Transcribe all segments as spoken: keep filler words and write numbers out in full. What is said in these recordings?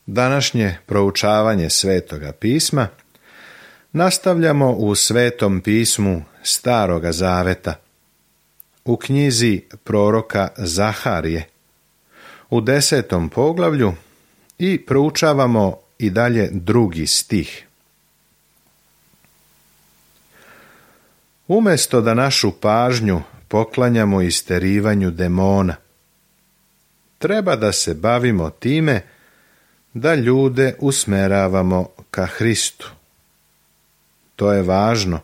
Današnje proučavanje Svetoga pisma nastavljamo u Svetom pismu Staroga Zaveta, u knjizi proroka Zaharije, u desetom poglavlju i proučavamo i dalje drugi stih. Umjesto da našu pažnju poklanjamo isterivanju demona, treba da se bavimo time da ljude usmeravamo ka Hristu. To je važno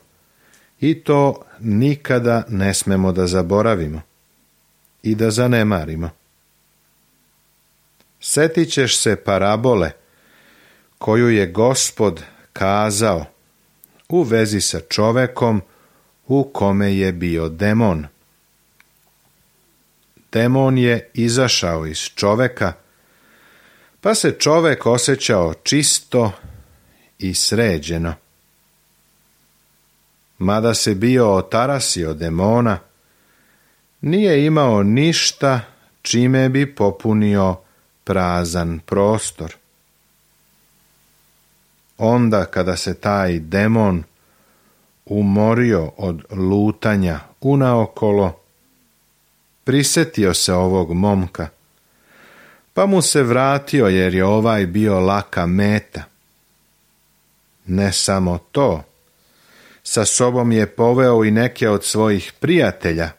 i to nikada ne smemo da zaboravimo i da zanemarimo. Setit ćeš se parabole koju je Gospod kazao u vezi sa čovekom u kome je bio demon. Demon je izašao iz čoveka, pa se čovek osjećao čisto i sređeno. Mada se bio otarasio demona, nije imao ništa čime bi popunio prazan prostor. Onda kada se taj demon umorio od lutanja unaokolo, prisetio se ovog momka, pa mu se vratio jer je ovaj bio laka meta. Ne samo to, sa sobom je poveo i neke od svojih prijatelja,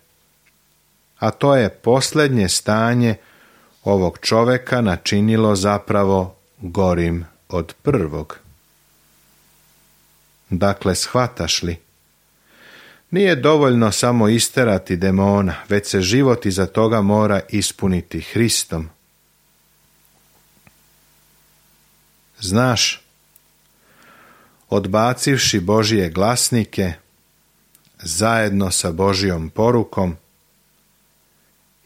a to je posljednje stanje ovog čoveka načinilo zapravo gorim od prvog. Dakle, shvataš li? Nije dovoljno samo isterati demona, već se život iza toga mora ispuniti Hristom. Znaš, odbacivši Božije glasnike, zajedno sa Božijom porukom,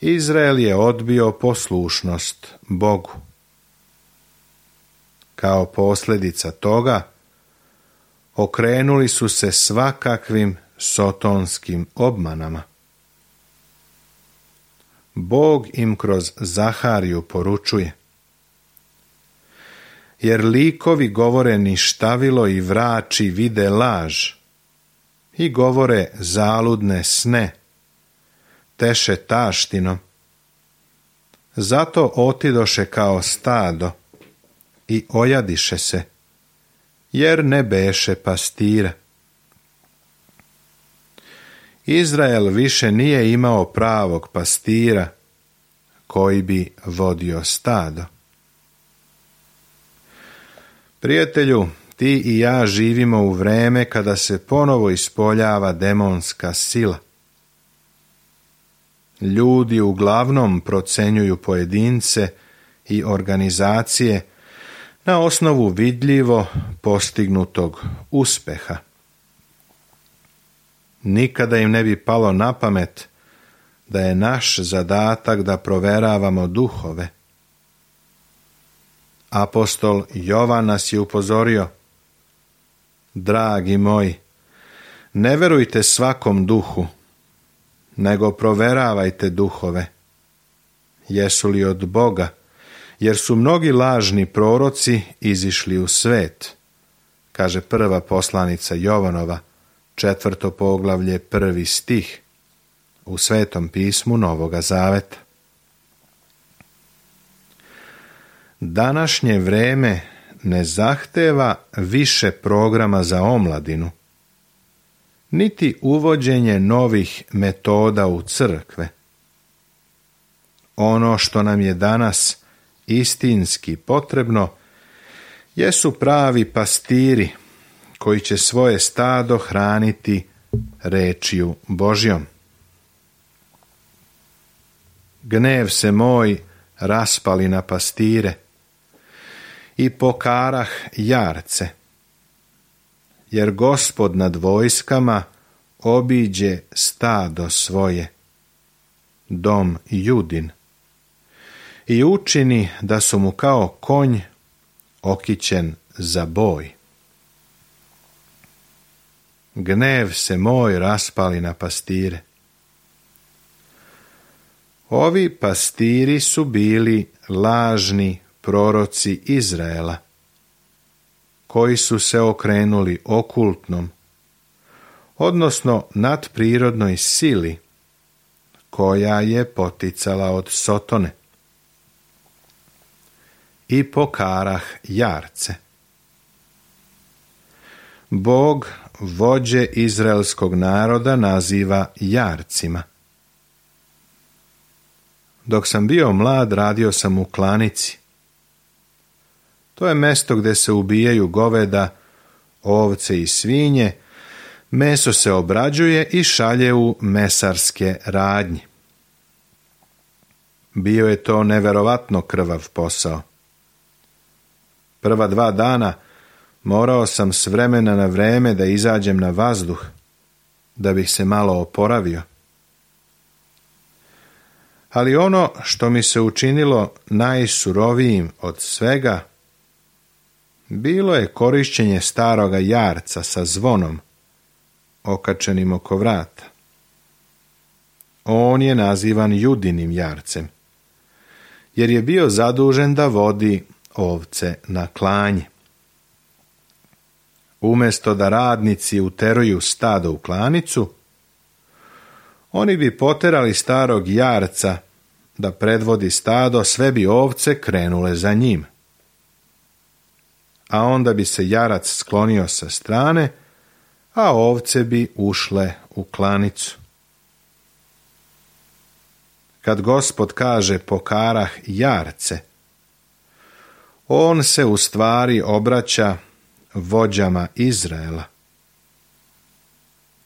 Izrael je odbio poslušnost Bogu. Kao posljedica toga, okrenuli su se svakakvim sotonskim obmanama. Bog im kroz Zahariju poručuje: jer likovi govore ništavilo i vrači vide laž i govore zaludne sne, teše taštinom. Zato otidoše kao stado i ojadiše se, jer ne beše pastira. Izrael više nije imao pravog pastira koji bi vodio stado. Prijatelju, ti i ja živimo u vreme kada se ponovo ispoljava demonska sila. Ljudi uglavnom procenjuju pojedince i organizacije na osnovu vidljivo postignutog uspeha. Nikada im ne bi palo na pamet da je naš zadatak da proveravamo duhove. Apostol Jovan nas je upozorio: dragi moji, ne verujte svakom duhu, nego proveravajte duhove, jesu li od Boga, jer su mnogi lažni proroci izišli u svet, kaže prva poslanica Jovanova, četvrto poglavlje, prvi stih, u Svetom pismu Novoga Zaveta. Današnje vreme ne zahteva više programa za omladinu, niti uvođenje novih metoda u crkve. Ono što nam je danas istinski potrebno jesu pravi pastiri koji će svoje stado hraniti rečju Božjom. Gnev se moj raspali na pastire i pokarah jarce, jer Gospod nad vojskama obiđe stado svoje, dom Judin, i učini da su mu kao konj okićen za boj. Gnev se moj raspali na pastire. Ovi pastiri su bili lažni proroci Izraela, koji su se okrenuli okultnom, odnosno nadprirodnoj sili koja je poticala od Sotone, i pokarah jarce. Bog vođe izraelskog naroda naziva jarcima. Dok sam bio mlad, radio sam u klanici. To je mesto gdje se ubijaju goveda, ovce i svinje, meso se obrađuje i šalje u mesarske radnje. Bio je to neverovatno krvav posao. Prva dva dana morao sam s vremena na vreme da izađem na vazduh, da bih se malo oporavio. Ali ono što mi se učinilo najsurovijim od svega bilo je korišćenje staroga jarca sa zvonom okačenim oko vrata. On je nazivan Judinim jarcem, jer je bio zadužen da vodi ovce na klanje. Umjesto da radnici uteruju stado u klanicu, oni bi poterali starog jarca da predvodi stado, sve bi ovce krenule za njim. A onda bi se jarac sklonio sa strane, a ovce bi ušle u klanicu. Kad Gospod kaže pokarah jarce, on se u stvari obraća vođama Izraela.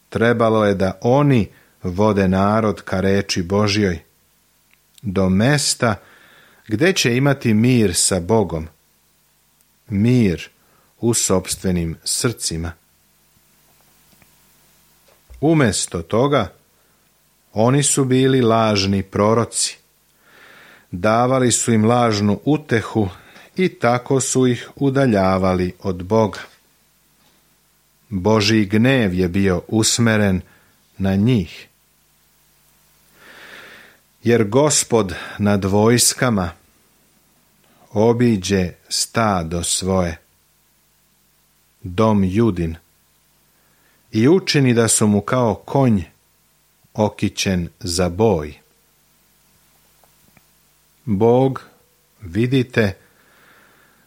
Trebalo je da oni vode narod ka reči Božjoj, do mesta gdje će imati mir sa Bogom, mir u sopstvenim srcima. Umjesto toga, oni su bili lažni proroci, davali su im lažnu utehu i tako su ih udaljavali od Boga. Božji gnev je bio usmeren na njih. Jer Gospod nad vojskama obiđe stado svoje, dom Judin, i učini da su mu kao konj okićen za boj. Bog, vidite,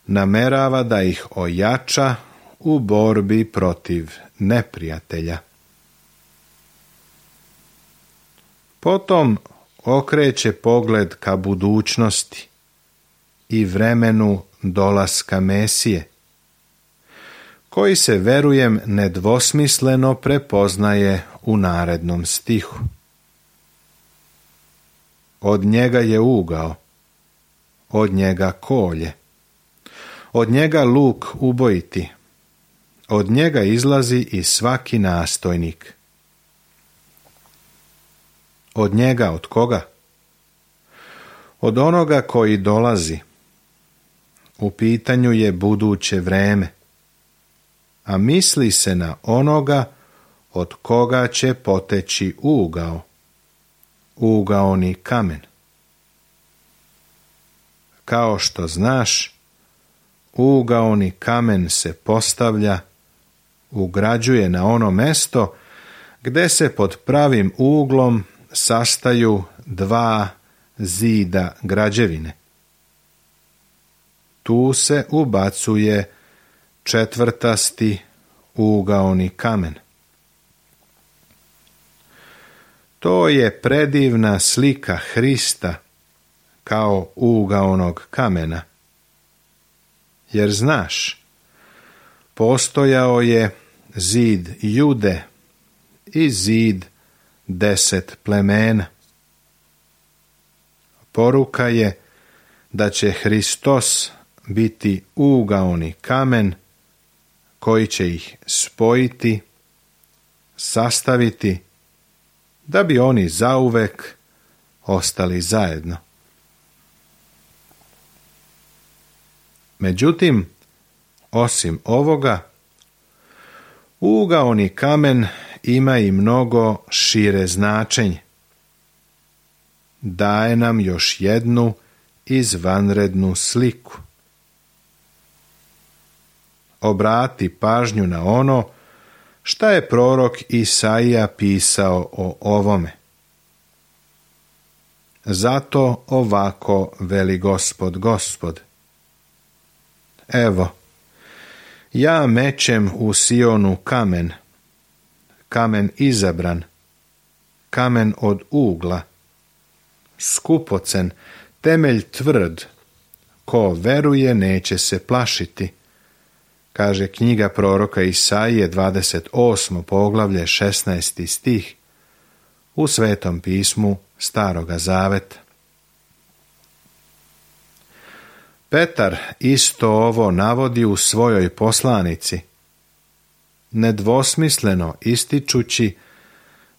namerava da ih ojača u borbi protiv neprijatelja. Potom okreće pogled ka budućnosti i vremenu dolaska Mesije, koji se, verujem, nedvosmisleno prepoznaje u narednom stihu. Od njega je ugao, od njega kolje, od njega luk ubojiti, od njega izlazi i svaki nastojnik. Od njega, od koga? Od onoga koji dolazi. U pitanju je buduće vreme, a misli se na onoga od koga će poteći ugao, ugaoni kamen. Kao što znaš, ugaoni kamen se postavlja, ugrađuje na ono mesto gdje se pod pravim uglom sastaju dva zida građevine. Tu se ubacuje četvrtasti ugaoni kamen. To je predivna slika Hrista kao ugaonog kamena. Jer znaš, postojao je zid Jude i zid deset plemena. Poruka je da će Hristos biti ugaoni kamen koji će ih spojiti, sastaviti, da bi oni zauvek ostali zajedno. Međutim, osim ovoga, ugaoni kamen ima i mnogo šire značenje. Daje nam još jednu izvanrednu sliku. obrati pažnju na ono šta je prorok Isaija pisao o ovome. Zato ovako veli Gospod, Gospod. Evo, ja mećem u Sionu kamen, kamen izabran, kamen od ugla, skupocen, temelj tvrd, ko veruje neće se plašiti, kaže knjiga proroka Isaije, dvadeset osmo poglavlje, šesnaesti stih, u Svetom pismu Staroga Zaveta. Petar isto ovo navodi u svojoj poslanici, nedvosmisleno ističući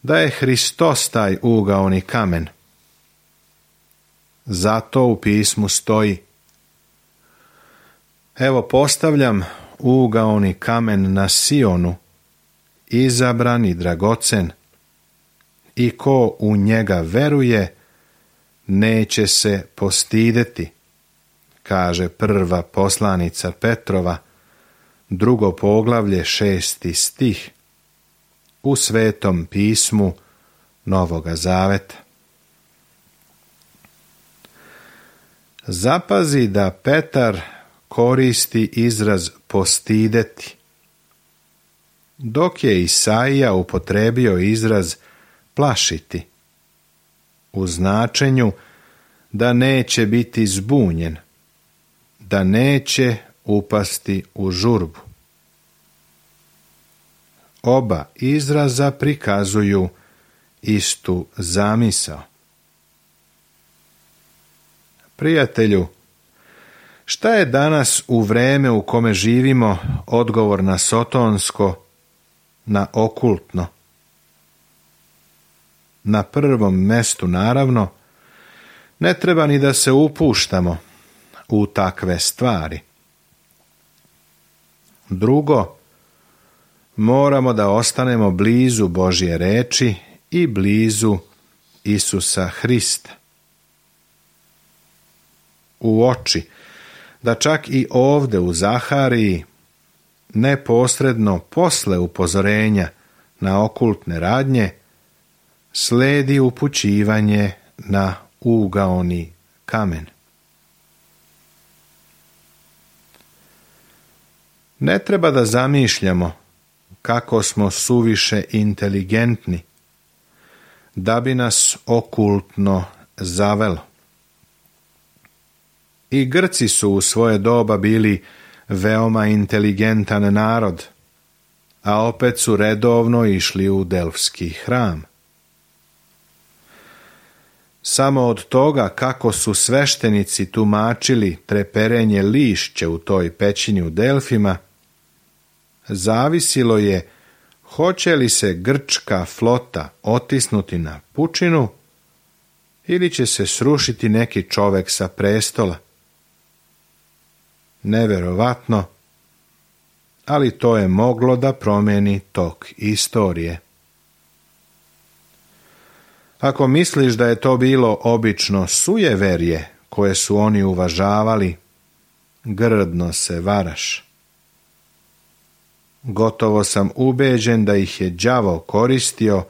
da je Hristos taj ugaoni kamen. Zato u pismu stoji: evo postavljam ugaoni kamen na Sionu, izabran i dragocen, i ko u njega veruje, neće se postideti, kaže prva poslanica Petrova, drugo poglavlje, šesti stih, u Svetom pismu Novoga Zaveta. Zapazi da Petar koristi izraz postideti, dok je Isaija upotrebio izraz plašiti, u značenju da neće biti zbunjen, da neće upasti u žurbu. Oba izraza prikazuju istu zamisao. Prijatelju, šta je danas u vreme u kome živimo odgovor na sotonsko, na okultno? Na prvom mestu, naravno, ne treba ni da se upuštamo u takve stvari. Drugo, moramo da ostanemo blizu Božje reči i blizu Isusa Hrista. U oči da čak i ovde u Zahariji, neposredno posle upozorenja na okultne radnje, sledi upućivanje na ugaoni kamen. Ne treba da zamišljamo kako smo suviše inteligentni da bi nas okultno zavelo. I Grci su u svoje doba bili veoma inteligentan narod, a opet su redovno išli u Delfski hram. Samo od toga kako su sveštenici tumačili treperenje lišće u toj pećini u Delfima, zavisilo je hoće li se grčka flota otisnuti na pučinu ili će se srušiti neki čovek sa prestola. Neverovatno, ali to je moglo da promeni tok istorije. Ako misliš da je to bilo obično sujeverje koje su oni uvažavali, grdno se varaš. Gotovo sam ubeđen da ih je đavo koristio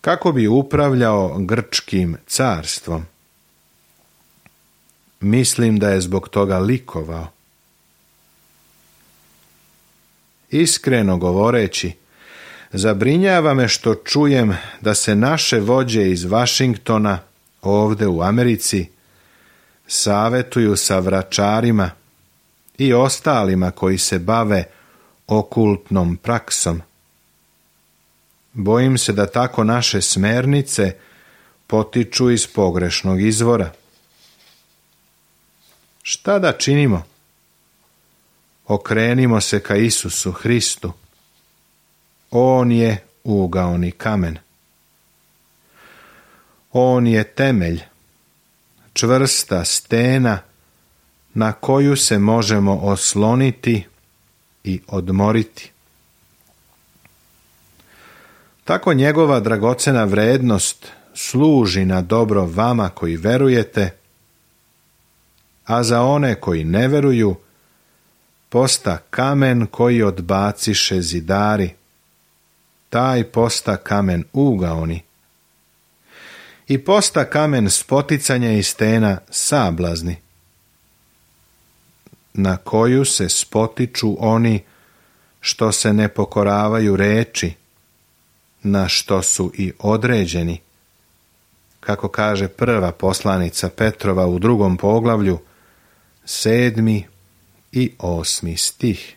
kako bi upravljao grčkim carstvom. Mislim da je zbog toga likovao. Iskreno govoreći, zabrinjava me što čujem da se naše vođe iz Vašingtona ovde u Americi savetuju sa vračarima i ostalima koji se bave okultnom praksom. Bojim se da tako naše smernice potiču iz pogrešnog izvora. Šta da činimo? Okrenimo se ka Isusu Hristu. On je ugaoni kamen. On je temelj, čvrsta stena na koju se možemo osloniti i odmoriti. Tako njegova dragocena vrednost služi na dobro vama koji verujete, a za one koji ne veruju posta kamen koji odbaciše zidari, taj posta kamen ugaoni. I posta kamen spoticanja i stena sablazni, na koju se spotiču oni što se ne pokoravaju reči, na što su i određeni, kako kaže prva poslanica Petrova u drugom poglavlju, sedmi i osmi stih.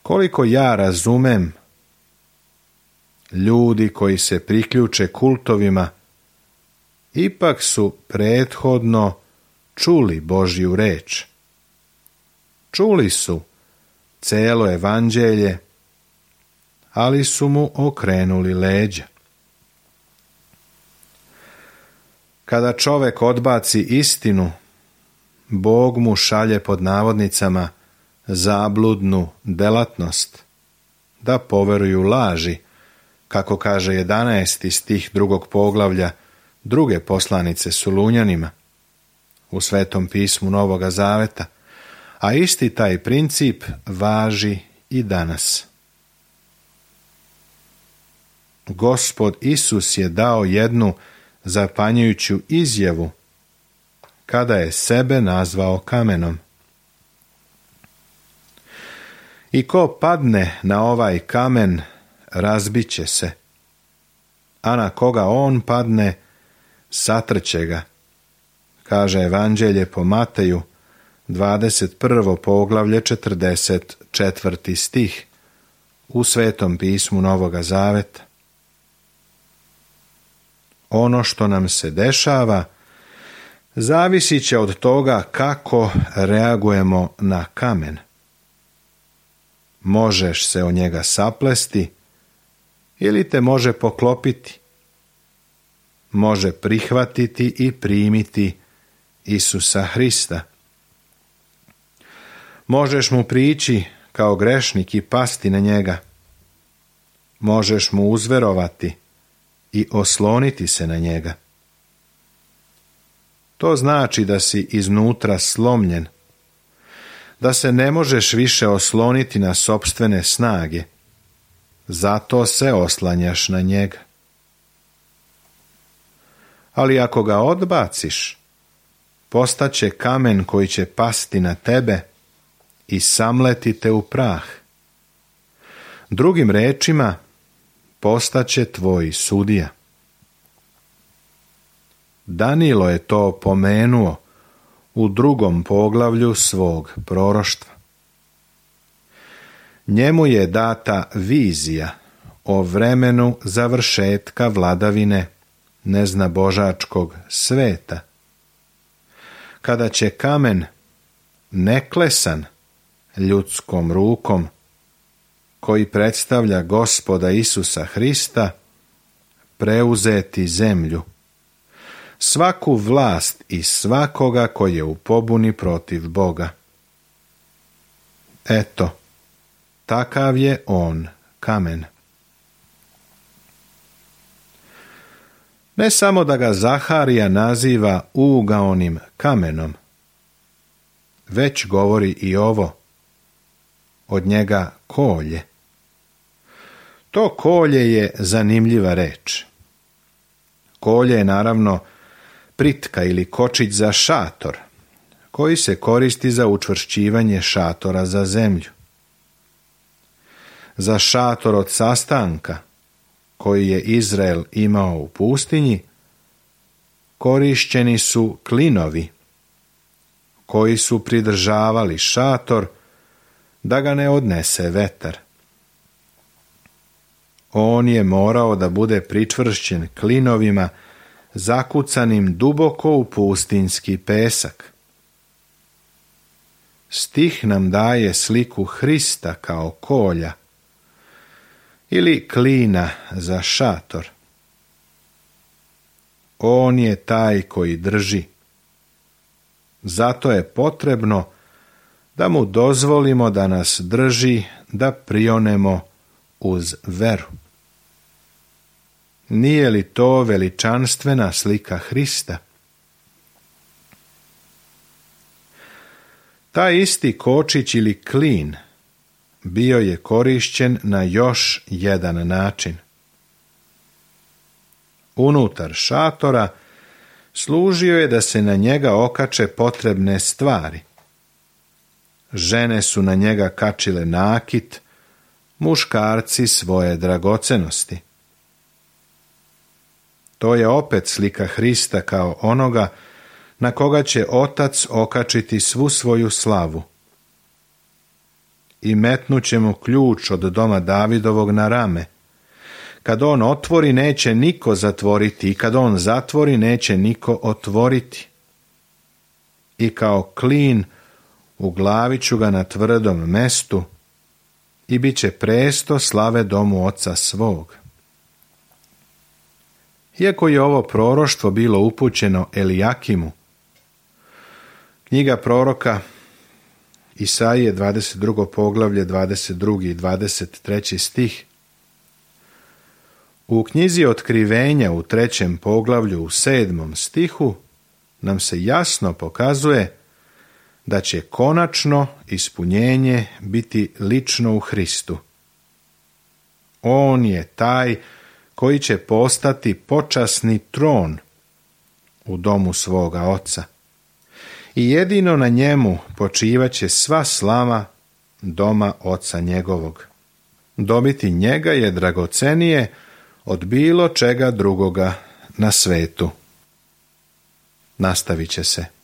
Koliko ja razumem, ljudi koji se priključe kultovima ipak su prethodno čuli Božju reč. Čuli su celo evanđelje, ali su mu okrenuli leđa. Kada čovek odbaci istinu, Bog mu šalje pod navodnicama zabludnu delatnost, da poveruju laži, kako kaže jedanaesti stih drugog poglavlja druge poslanice Sulunjanima u Svetom pismu Novoga Zaveta, a isti taj princip važi i danas. Gospod Isus je dao jednu zapanjujuću izjavu kada je sebe nazvao kamenom. I ko padne na ovaj kamen, razbiće se, a na koga on padne, satrće ga, kaže Evanđelje po Mateju, dvadeset prvo poglavlje, četrdeset četvrti stih, u Svetom pismu Novoga Zaveta. Ono što nam se dešava zavisit će od toga kako reagujemo na kamen. Možeš se o njega saplesti ili te može poklopiti. Može prihvatiti i primiti Isusa Hrista. Možeš mu prići kao grešnik i pasti na njega. Možeš mu uzverovati i osloniti se na njega. To znači da si iznutra slomljen, da se ne možeš više osloniti na sopstvene snage, zato se oslanjaš na njega. Ali ako ga odbaciš, postaće kamen koji će pasti na tebe i samleti te u prah. Drugim rečima, postaće tvoj sudija. Danilo je to pomenuo u drugom poglavlju svog proroštva. Njemu je data vizija o vremenu završetka vladavine neznabožačkog sveta, kada će kamen neklesan ljudskom rukom, koji predstavlja Gospoda Isusa Hrista, preuzeti zemlju, svaku vlast i svakoga koji je u pobuni protiv Boga. Eto, takav je on kamen. Ne samo da ga Zaharija naziva ugaonim kamenom, već govori i ovo, od njega kolje. To kolje je zanimljiva reč. Kolje je naravno pritka ili kočić za šator, koji se koristi za učvršćivanje šatora za zemlju. Za šator od sastanka, koji je Izrael imao u pustinji, korišćeni su klinovi, koji su pridržavali šator da ga ne odnese vetar. On je morao da bude pričvršćen klinovima zakucanim duboko u pustinjski pesak. Stih nam daje sliku Hrista kao kolja ili klina za šator. On je taj koji drži. Zato je potrebno da mu dozvolimo da nas drži, da prionemo uz veru. Nije li to veličanstvena slika Hrista? Taj isti kočić ili klin bio je korišćen na još jedan način. Unutar šatora služio je da se na njega okače potrebne stvari. Žene su na njega kačile nakit, muškarci svoje dragocenosti. To je opet slika Hrista kao onoga na koga će Otac okačiti svu svoju slavu. I metnuće mu ključ od doma Davidovog na rame. Kad on otvori, neće niko zatvoriti, i kad on zatvori, neće niko otvoriti. I kao klin uglavit ću ga na tvrdom mestu i bit će presto slave domu oca svog. Iako je ovo proroštvo bilo upućeno Elijakimu, knjiga proroka Isaije, dvadeset drugo poglavlje, dvadeset drugi i dvadeset treći stih, u knjizi Otkrivenja u trećem poglavlju u sedmom stihu nam se jasno pokazuje da će konačno ispunjenje biti lično u Hristu. On je taj koji će postati počasni tron u domu svoga Oca. I jedino na njemu počivaće sva slava doma Oca njegovog. Dobiti njega je dragocenije od bilo čega drugoga na svetu. Nastavit će se.